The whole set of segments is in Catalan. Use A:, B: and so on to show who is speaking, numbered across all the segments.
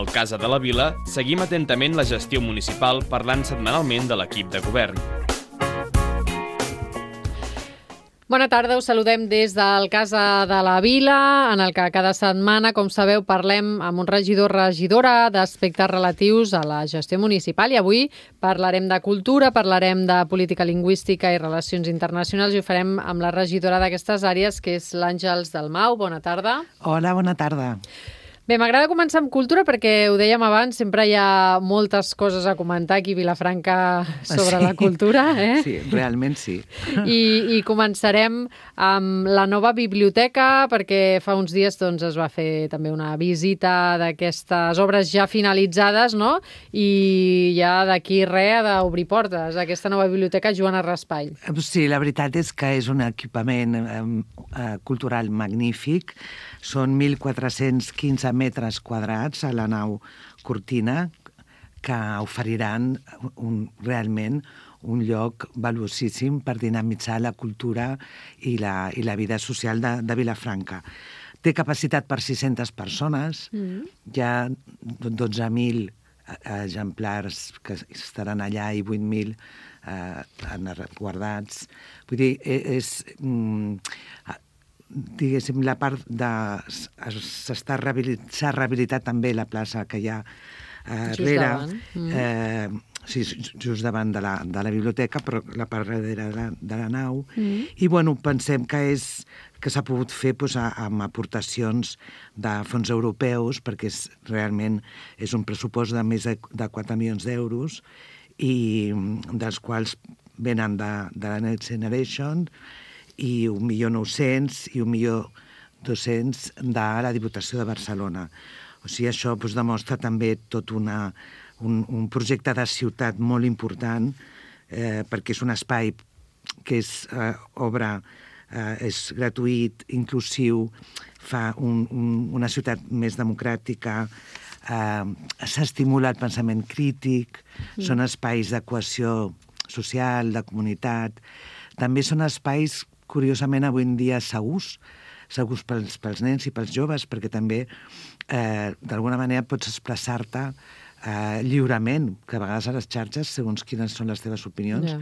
A: Al Casa de la Vila seguim atentament la gestió municipal parlant setmanalment de l'equip de govern.
B: Bona tarda, us saludem des del Casa de la Vila, en el que cada setmana, com sabeu, parlem amb un regidor o regidora d'aspectes relatius a la gestió municipal. I avui parlarem de cultura, parlarem de política lingüística i relacions internacionals i ho farem amb la regidora d'aquestes àrees, que és l'Àngels Dalmau. Bona tarda.
C: Hola, bona tarda.
B: Bé, m'agrada començar amb cultura perquè, ho dèiem abans, sempre hi ha moltes coses a comentar aquí a Vilafranca sobre la cultura.
C: Sí, realment sí.
B: I començarem amb la nova biblioteca, perquè fa uns dies es va fer també una visita d'aquestes obres ja finalitzades, no? I ja d'aquí res ha d'obrir portes, aquesta nova biblioteca Joana Raspall.
C: Sí, la veritat és que és un equipament cultural magnífic. Són 1.415 metres quadrats a la nau Cortina que oferiran realment un lloc valuosíssim per dinamitzar la cultura i la vida social de Vilafranca. Té capacitat per 600 persones, hi ha 12.000 exemplars que estaran allà i 8.000 guardats. Vull dir, diguéssim, la part de... s'ha rehabilitat també la plaça que hi ha darrere, just davant de la biblioteca, però la part darrere de la nau. I, bueno, pensem que s'ha pogut fer amb aportacions de fons europeus, perquè realment és un pressupost de més de 4 milions d'euros, i dels quals venen de la Next Generation, i 1.900.000 i 1.200.000 de la Diputació de Barcelona. O sigui, això demostra també tot un projecte de ciutat molt important, perquè és un espai que és obra, és gratuït, inclusiu, fa una ciutat més democràtica, s'estimula el pensament crític, són espais de cohesió social, de comunitat. També són espais, curiosament, avui en dia segurs pels nens i pels joves, perquè també, d'alguna manera, pots expressar-te lliurement, que a vegades a les xarxes, segons quines són les teves opinions,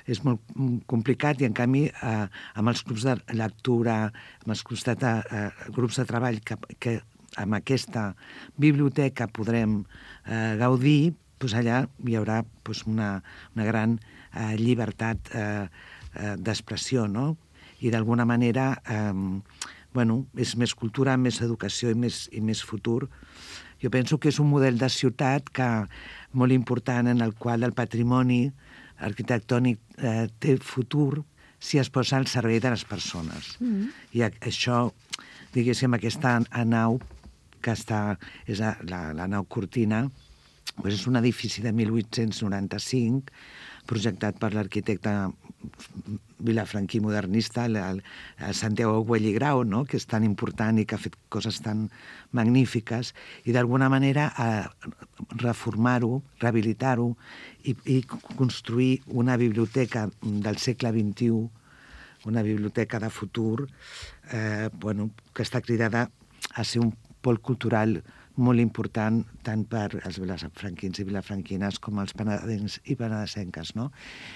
C: és molt complicat, i en canvi, amb els clubs de lectura, amb els grups de treball que amb aquesta biblioteca podrem gaudir, allà hi haurà una gran llibertat d'expressió, no? I d'alguna manera, és més cultura, més educació i més futur. Jo penso que és un model de ciutat molt important, en el qual el patrimoni arquitectònic té futur si es posa al servei de les persones. I això, diguéssim, aquesta nau, que és la nau Cortina, és un edifici de 1895, projectat per l'arquitecte vilafranquí modernista, el Santiago Güell i Grau, que és tan important i que ha fet coses tan magnífiques, i d'alguna manera reformar-ho, rehabilitar-ho i construir una biblioteca del segle XXI, una biblioteca de futur, que està cridada a ser un pol cultural molt important tant per als vilafranquins i vilafranquines com els penedencs i penedesenques, no?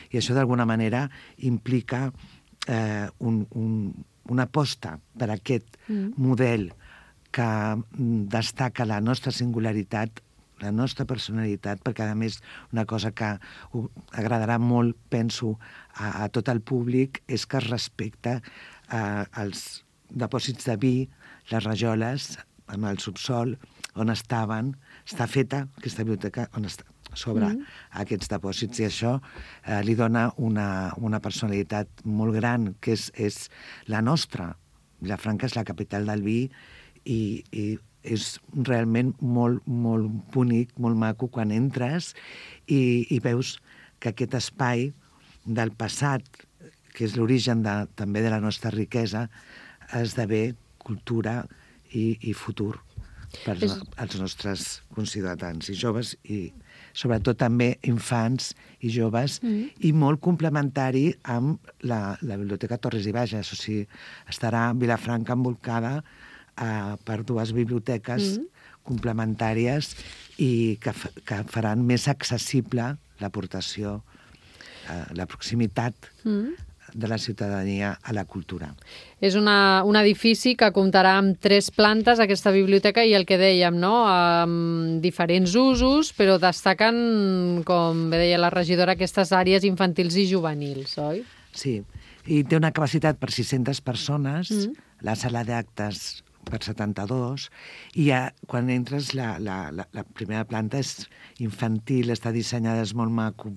C: I això d'alguna manera implica una aposta per aquest model que destaca la nostra singularitat, la nostra personalitat, perquè a més una cosa que agradarà molt, penso, a tot el públic, és que es respecta els dipòsits de vi, les rajoles, amb el subsol, on està feta aquesta biblioteca sobre aquests depòsits, i això li dona una personalitat molt gran, que és la nostra. Vilafranca és la capital del vi i és realment molt, molt bonic, molt maco quan entres i veus que aquest espai del passat, que és l'origen també de la nostra riquesa, esdevé cultura i futur per als nostres conciutadans i joves, i sobretot també infants i joves, i molt complementari amb la Biblioteca Torres i Bages. O sigui, estarà Vilafranca envolcada per dues biblioteques complementàries i que faran més accessible l'aportació, la proximitat de la ciutadania a la cultura.
B: És un edifici que comptarà amb 3 plantes, aquesta biblioteca, i el que dèiem, no? Amb diferents usos, però destaquen, com bé deia la regidora, aquestes àrees infantils i juvenils, oi?
C: Sí, i té una capacitat per 600 persones, la sala d'actes per 72, i quan entres la primera planta és infantil, està dissenyada, és molt maco,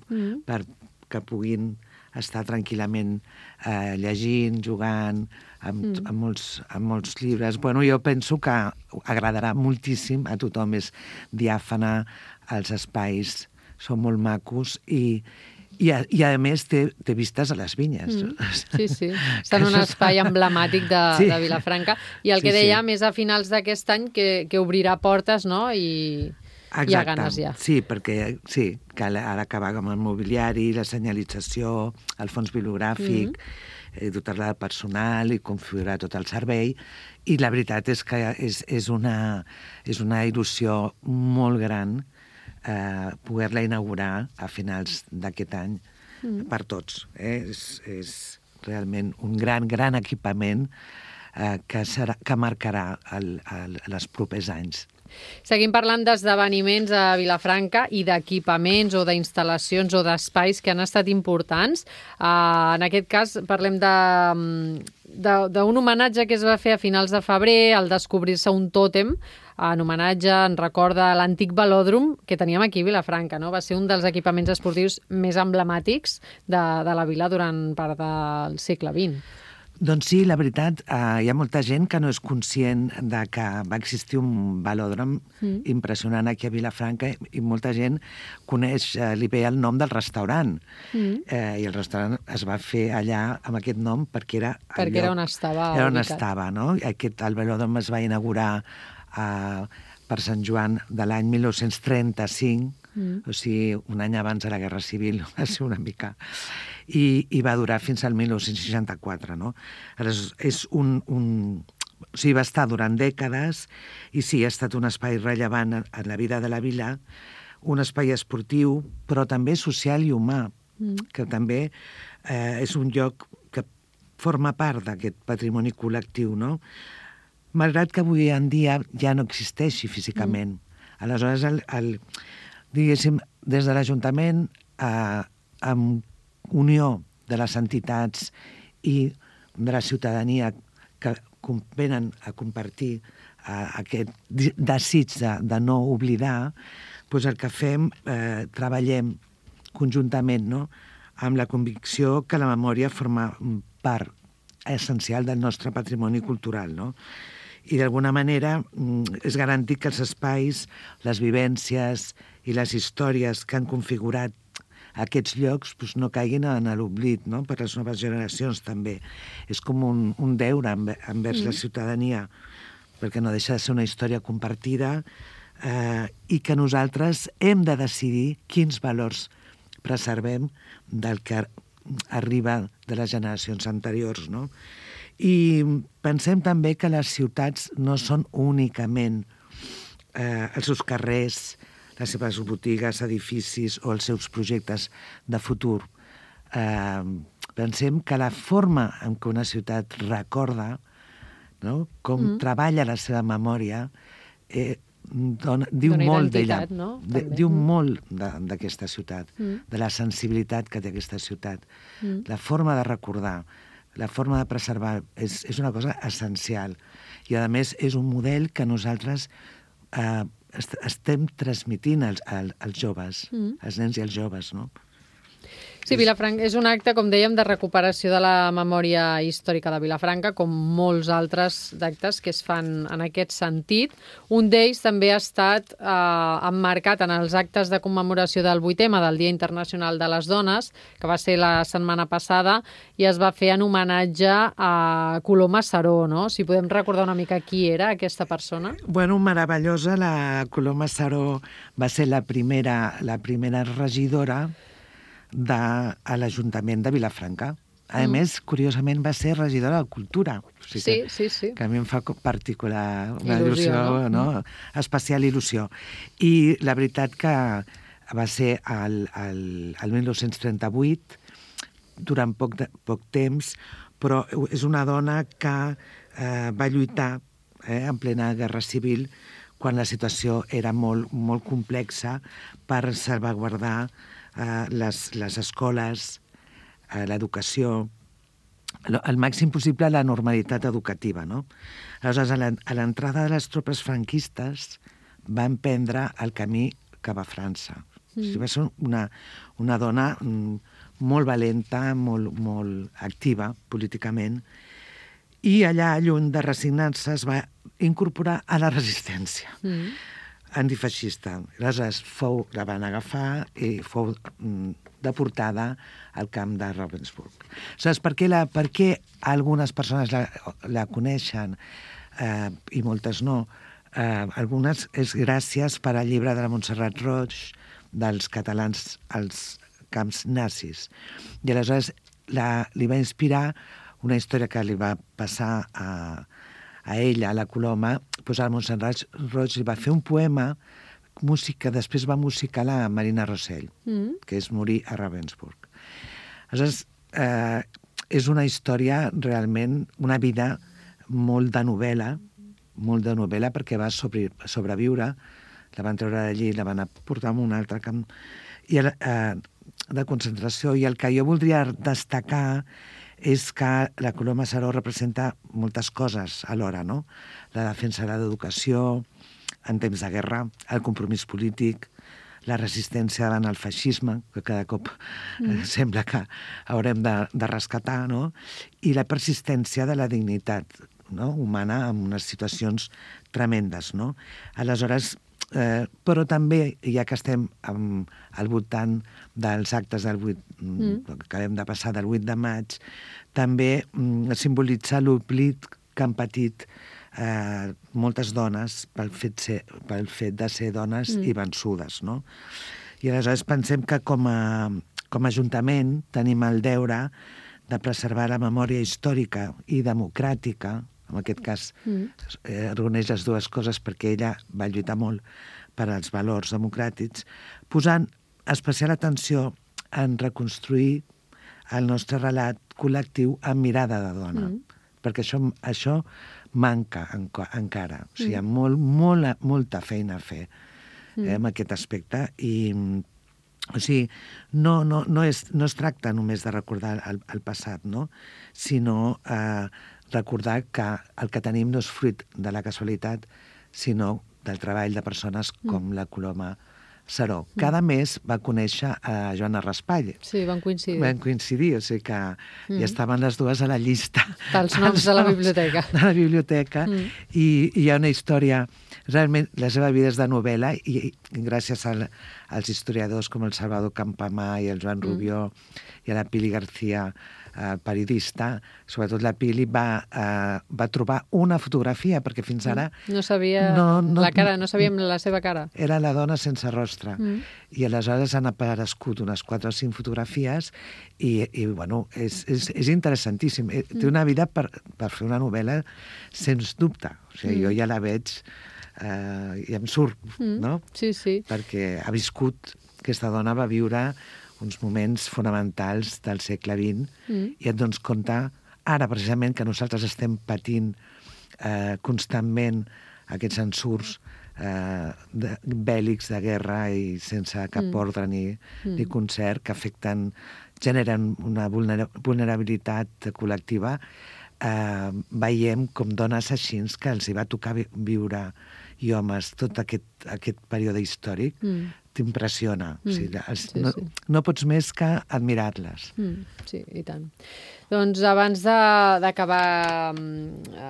C: perquè puguin estar tranquil·lament llegint, jugant, amb molts llibres. Bueno, jo penso que agradarà moltíssim a tothom, és diàfana, els espais són molt macos i a més té vistes a les vinyes.
B: Sí. Està en un espai emblemàtic de Vilafranca. I el que dèiem és a finals d'aquest any que obrirà portes, no? I hi ha ganes ja.
C: Sí, perquè cal ara acabar amb el mobiliari, la senyalització, el fons bibliogràfic, dotar-la de personal i configurar tot el servei. I la veritat és que és una il·lusió molt gran poder-la inaugurar a finals d'aquest any per tots. És realment un gran equipament que marcarà els propers anys.
B: Seguim parlant d'esdeveniments a Vilafranca i d'equipaments o d'instal·lacions o d'espais que han estat importants. En aquest cas parlem d'un homenatge que es va fer a finals de febrer al descobrir-se un tòtem en homenatge, en recorda l'antic velòdrom que teníem aquí a Vilafranca, no? Va ser un dels equipaments esportius més emblemàtics de la vila durant part del segle XX.
C: Doncs sí, la veritat, hi ha molta gent que no és conscient de que va existir un velòdrom impressionant aquí a Vilafranca i molta gent coneix, li ve el nom del restaurant. I el restaurant es va fer allà amb aquest nom perquè era
B: on estava ubicat.
C: Era on estava, no? El velòdrom es va inaugurar per Sant Joan de l'any 1935, o sigui, un any abans de la Guerra Civil, va ser una mica... I va durar fins al 1964, no? És o sigui, va estar durant dècades i sí, ha estat un espai rellevant en la vida de la vila, un espai esportiu, però també social i humà, que també és un lloc que forma part d'aquest patrimoni col·lectiu, no? Malgrat que avui en dia ja no existeixi físicament. Aleshores, diguéssim, des de l'Ajuntament, amb unió de les entitats i de la ciutadania que venen a compartir aquest desig de no oblidar, doncs el que fem, treballem conjuntament, no?, amb la convicció que la memòria forma part essencial del nostre patrimoni cultural, no? I d'alguna manera és garantir que els espais, les vivències i les històries que han configurat aquests llocs no caiguin en l'oblit, no?, per les noves generacions també. És com un deure envers la ciutadania, perquè no deixa de ser una història compartida i que nosaltres hem de decidir quins valors preservem del que arriba de les generacions anteriors, no? I pensem també que les ciutats no són únicament els seus carrers, les seves botigues, edificis o els seus projectes de futur. Pensem que la forma en què una ciutat recorda, no?, com treballa la seva memòria, diu molt d'ella,
B: no?
C: Diu molt d'aquesta ciutat, de la sensibilitat que té aquesta ciutat. La forma de recordar, la forma de preservar és una cosa essencial. I, a més, és un model que nosaltres estem transmitint als joves, als nens i als joves, no?
B: Sí, Vilafranca és un acte, com dèiem, de recuperació de la memòria històrica de Vilafranca, com molts altres d'actes que es fan en aquest sentit. Un d'ells també ha estat emmarcat en els actes de commemoració del 8M, del Dia Internacional de les Dones, que va ser la setmana passada, i es va fer en homenatge a Coloma Saró, no? Si podem recordar una mica qui era aquesta persona.
C: Bueno, meravellosa. La Coloma Saró va ser la primera regidora a l'Ajuntament de Vilafranca. A més, curiosament, va ser regidora de Cultura. O sigui
B: sí.
C: Que a mi em fa particular una
B: Il·lusió,
C: no? Especial il·lusió. I la veritat que va ser el 1938, durant poc temps, però és una dona que va lluitar en plena guerra civil quan la situació era molt, molt complexa per salvaguardar les escoles, l'educació, al màxim possible la normalitat educativa, no? Aleshores, a l'entrada de les tropes franquistes va emprendre el camí cap a França. O sigui, va ser una dona molt valenta, molt activa políticament, i allà, lluny de resignar-se, es va incorporar a la resistència antifeixista. Aleshores, la van agafar i fou deportada al camp de Ravensbrück. Aleshores, per què algunes persones la coneixen i moltes no? Algunes és gràcies per al llibre de la Montserrat Roig dels catalans als camps nazis. I aleshores li va inspirar una història que li va passar a ella, a la Coloma, doncs a Montserrat Roig li va fer un poema que després va musicar la Marina Rosell, que és morir a Ravensbrück. Aleshores, és una història realment, una vida molt de novel·la, perquè va sobreviure, la van treure d'allí, la van portar a un altre camp de concentració, i el que jo voldria destacar és que la Coloma Saró representa moltes coses alhora, no? La defensa de l'educació en temps de guerra, el compromís polític, la resistència davant el feixisme, que cada cop sembla que haurem de rescatar, no? I la persistència de la dignitat, no? Humana en unes situacions tremendes, no? Aleshores, però també, ja que estem al voltant dels actes que acabem de passar del 8 de maig, també simbolitza l'oblit que han patit moltes dones pel fet de ser dones i vençudes, no? I aleshores pensem que com a Ajuntament tenim el deure de preservar la memòria històrica i democràtica, en aquest cas reuneix les dues coses perquè ella va lluitar molt per als valors democràtics, posant especial atenció en reconstruir el nostre relat col·lectiu amb mirada de dona, perquè això manca encara. O sigui, hi ha molta feina a fer en aquest aspecte i o sigui, no es tracta només de recordar el passat, no? Sinó recordar que el que tenim no és fruit de la casualitat, sinó del treball de persones com la Coloma Saró. Cada mes va conèixer a Joana Raspall.
B: Sí, van coincidir.
C: Van coincidir, o sigui que ja estaven les dues a la llista.
B: Dels noms de la biblioteca.
C: De la biblioteca. I hi ha una història, realment la seva vida és de novel·la, i gràcies als historiadors com el Salvador Campamà i el Joan Rubió i a la Pili García, periodista, sobretot la Pili va trobar una fotografia, perquè fins ara...
B: No sabia la cara, no sabíem la seva cara.
C: Era la dona sense rostre. I aleshores han aparegut unes 4 o 5 fotografies i bueno, és interessantíssim. Té una vida per fer una novel·la, sens dubte. O sigui, jo ja la veig i em surt, no?
B: Sí, sí.
C: Perquè ha viscut, aquesta dona va viure uns moments fonamentals del segle XX i et dones compte ara precisament que nosaltres estem patint constantment aquests ensurts bèl·lics de guerra i sense cap ordre ni concert que generen una vulnerabilitat col·lectiva. Veiem com dones així que els hi va tocar viure i homes tot aquest període històric t'impressiona. No pots més que admirar-les.
B: Sí, i tant. Doncs abans d'acabar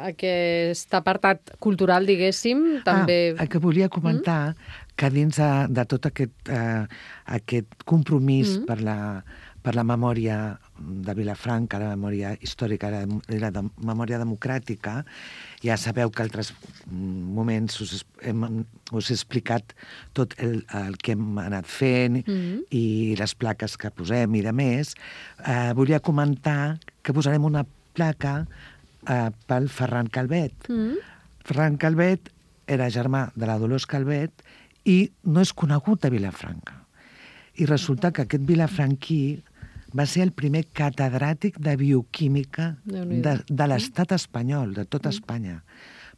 B: aquest apartat cultural, diguéssim, també...
C: El que volia comentar, que dins de tot aquest compromís per la memòria de Vilafranca, la memòria històrica i la memòria democràtica. Ja sabeu que altres moments us he explicat tot el que hem anat fent i les plaques que posem i de més. Volia comentar que posarem una placa pel Ferran Calvet. Ferran Calvet era germà de la Dolors Calvet i no és conegut a Vilafranca. I resulta que aquest vilafranquí va ser el primer catedràtic de bioquímica de l'estat espanyol, de tota Espanya,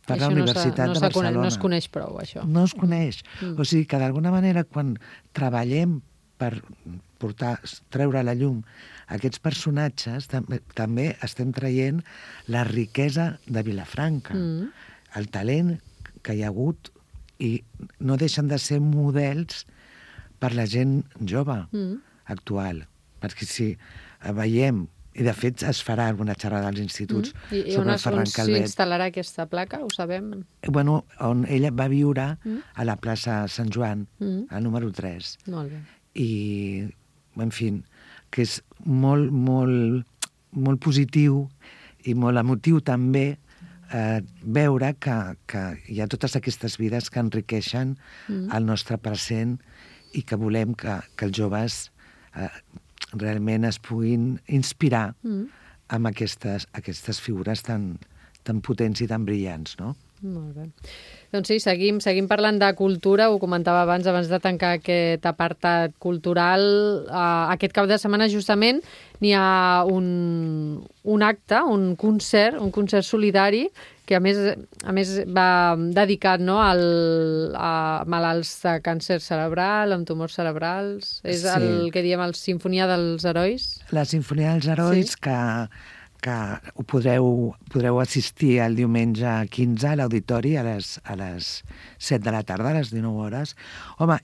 C: per la Universitat de Barcelona.
B: No es coneix prou, això.
C: No es coneix. O sigui que, d'alguna manera, quan treballem per treure a la llum aquests personatges, també estem traient la riquesa de Vilafranca, el talent que hi ha hagut, i no deixen de ser models per la gent jove actual. Perquè si veiem, i de fet es farà alguna xerrada als instituts sobre el Ferran Calvet.
B: I on s'instal·larà aquesta placa, ho sabem?
C: Bueno, on ella va viure a la plaça Sant Joan, al número 3.
B: Molt bé.
C: I, en fi, que és molt, molt, molt positiu i molt emotiu també veure que hi ha totes aquestes vides que enriqueixen el nostre present i que volem que els joves realment es puguin inspirar amb aquestes figures tan potents i tan brillants, no?
B: Molt bé. Doncs sí, seguim parlant de cultura. Ho comentava abans de tancar aquest apartat cultural. Aquest cap de setmana, justament, n'hi ha un acte, un concert solidari, que a més va dedicat, no, a malalts de càncer cerebral, amb tumors cerebrals. És el que diem la Sinfonia dels Herois.
C: La Sinfonia dels Herois, sí, que ho podreu assistir el diumenge 15 a l'auditori a les 7 de la tarda, a les 19 hores. Home,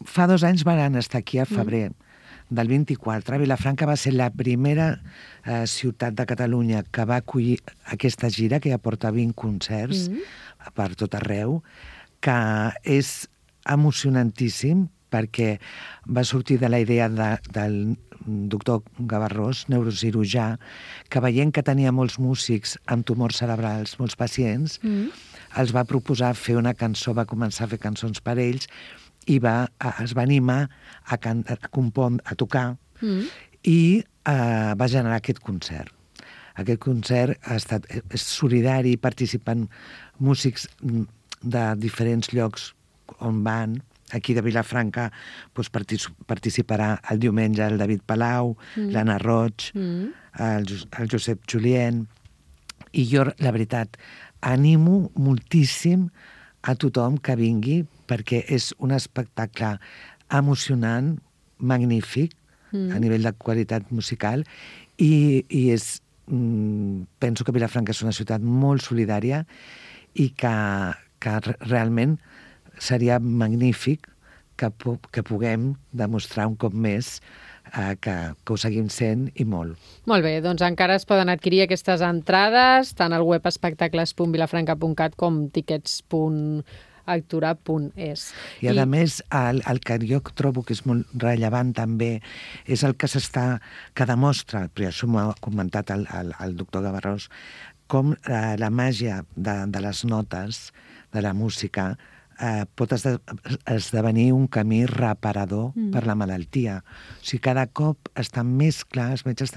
C: fa 2 anys van estar aquí a febrer del 24. Vilafranca va ser la primera ciutat de Catalunya que va acollir aquesta gira, que ja porta 20 concerts per tot arreu, que és emocionantíssim perquè va sortir de la idea del doctor Gavarrós, neurocirurgià, que veient que tenia molts músics amb tumors cerebrals, molts pacients, els va proposar fer una cançó, va començar a fer cançons per ells i es va animar a tocar i va generar aquest concert. Aquest concert és solidari, participen músics de diferents llocs on van. Aquí de Vilafranca participarà el diumenge el David Palau, l'Anna Roig, el Josep Julien. I jo, la veritat, animo moltíssim a tothom que vingui perquè és un espectacle emocionant, magnífic, a nivell de qualitat musical, i penso que Vilafranca és una ciutat molt solidària i que realment seria magnífic que puguem demostrar un cop més que ho seguim sent i molt.
B: Molt bé, doncs encara es poden adquirir aquestes entrades tant al web espectacles.vilafranca.cat com tickets.actura.es.
C: I a més, el que jo trobo que és molt rellevant també és el que demostra, però això m'ho ha comentat el doctor Gavarrós, com la màgia de les notes, de la música, pot esdevenir un camí reparador per la malaltia. O sigui, cada cop està més clar, els metges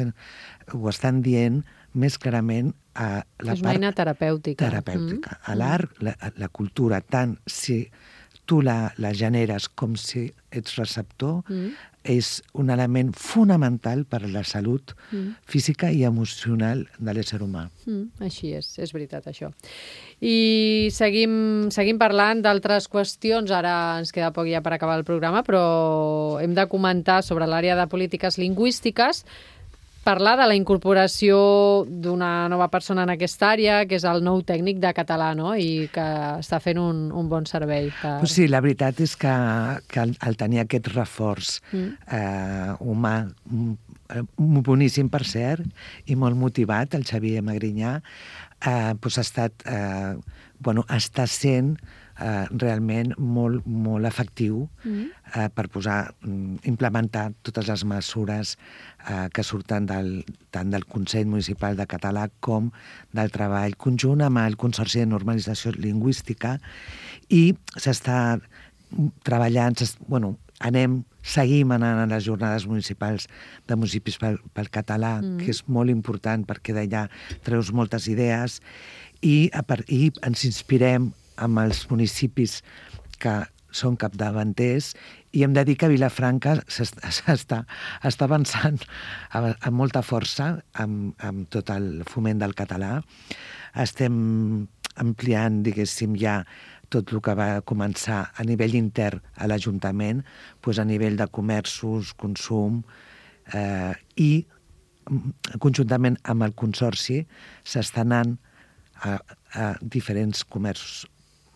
C: ho estan dient més clarament a la part...
B: És una eina terapèutica.
C: Terapèutica. A l'art, la cultura, tant si tu la generes com si ets receptor, és un element fonamental per a la salut física i emocional de l'ésser humà.
B: Així és veritat, això. I seguim parlant d'altres qüestions. Ara ens queda poc ja per acabar el programa, però hem de comentar sobre l'àrea de polítiques lingüístiques, parlar de la incorporació d'una nova persona en aquesta àrea, que és el nou tècnic de català, no? I que està fent un bon servei.
C: Sí, la veritat és que al tenir aquest reforç humà, boníssim per cert, i molt motivat, el Xavier Magrinyà, està sent realment molt efectiu per implementar totes les mesures que surten tant del Consell Municipal de Català com del treball conjunt amb el Consorci de Normalització Lingüística, i s'està treballant, seguim anant a les jornades municipals de municipis pel català, que és molt important perquè d'allà treus moltes idees, i ens inspirem amb els municipis que són capdavanters, i hem de dir que Vilafranca està avançant amb molta força amb tot el foment del català. Estem ampliant, diguéssim, ja tot el que va començar a nivell intern a l'Ajuntament, a nivell de comerços, consum, i conjuntament amb el Consorci s'està anant a diferents comerços,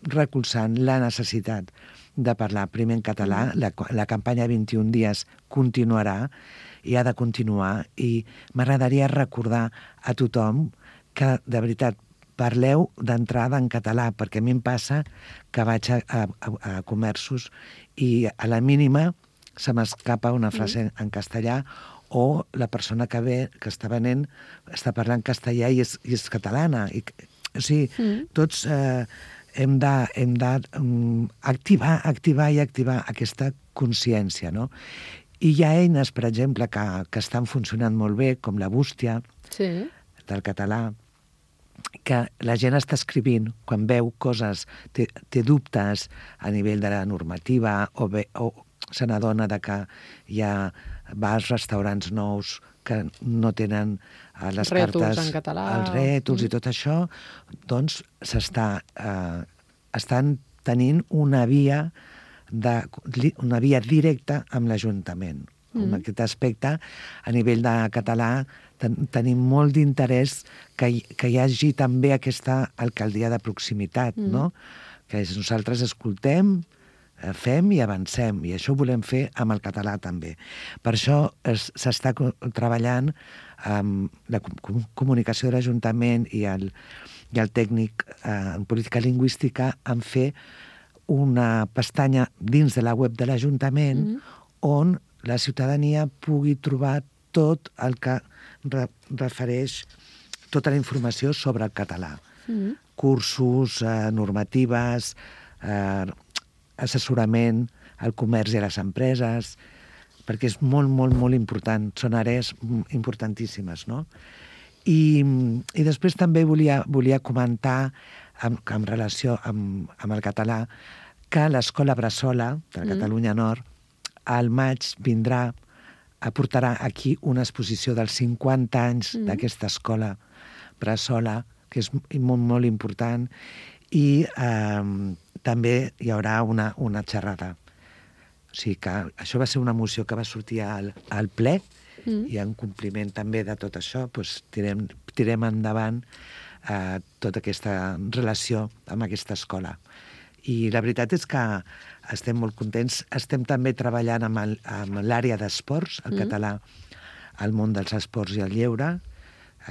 C: recolzant la necessitat de parlar primer en català. La campanya 21 dies continuarà i ha de continuar, i m'agradaria recordar a tothom que, de veritat, parleu d'entrada en català, perquè a mi em passa que vaig a comerços i a la mínima se m'escapa una frase en castellà, o la persona que ve, que està venent, està parlant castellà i és catalana. O sigui, tots hem d'activar aquesta consciència, no? I hi ha eines, per exemple, que estan funcionant molt bé, com la bústia del català, que la gent està escrivint quan veu coses, té dubtes a nivell de la normativa, o se n'adona que hi ha bars, restaurants nous que no tenen les cartes,
B: en català,
C: els rètols i tot això, doncs estan tenint una via directa amb l'Ajuntament. En aquest aspecte, a nivell de català, tenim molt d'interès que hi hagi també aquesta alcaldia de proximitat, no? Que nosaltres escoltem, fem i avancem, i això ho volem fer amb el català també. Per això s'està treballant amb la comunicació de l'Ajuntament i el tècnic en política lingüística en fer una pestanya dins de la web de l'Ajuntament on la ciutadania pugui trobar tot el que refereix tota la informació sobre el català. Cursos, normatives, assessorament al comerç i a les empreses, perquè és molt, molt, molt important. Són àrees importantíssimes, no? I després també volia comentar, en relació amb el català, que l'Escola Bressola, de la Catalunya Nord, al maig aportarà aquí una exposició dels 50 anys d'aquesta escola Bressola, que és molt, molt important, i també hi haurà una xerrada. O sigui que això va ser una moció que va sortir al ple, i en compliment també de tot això tirem endavant tota aquesta relació amb aquesta escola. I la veritat és que estem molt contents. Estem també treballant amb l'àrea d'esports, el català al món dels esports i el lleure.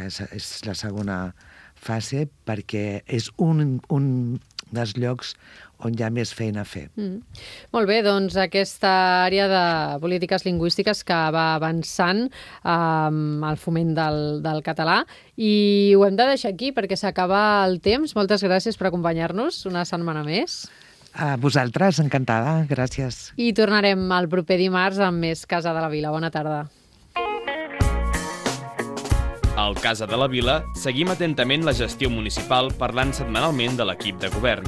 C: És la segona fase, perquè és un dels llocs on hi ha més feina a fer.
B: Molt bé, doncs aquesta àrea de polítiques lingüístiques que va avançant amb el foment del català, i ho hem de deixar aquí perquè s'acaba el temps. Moltes gràcies per acompanyar-nos una setmana més.
C: A vosaltres, encantada, gràcies.
B: I tornarem el proper dimarts amb més Casa de la Vila. Bona tarda.
A: Al Casa de la Vila seguim atentament la gestió municipal parlant setmanalment de l'equip de govern.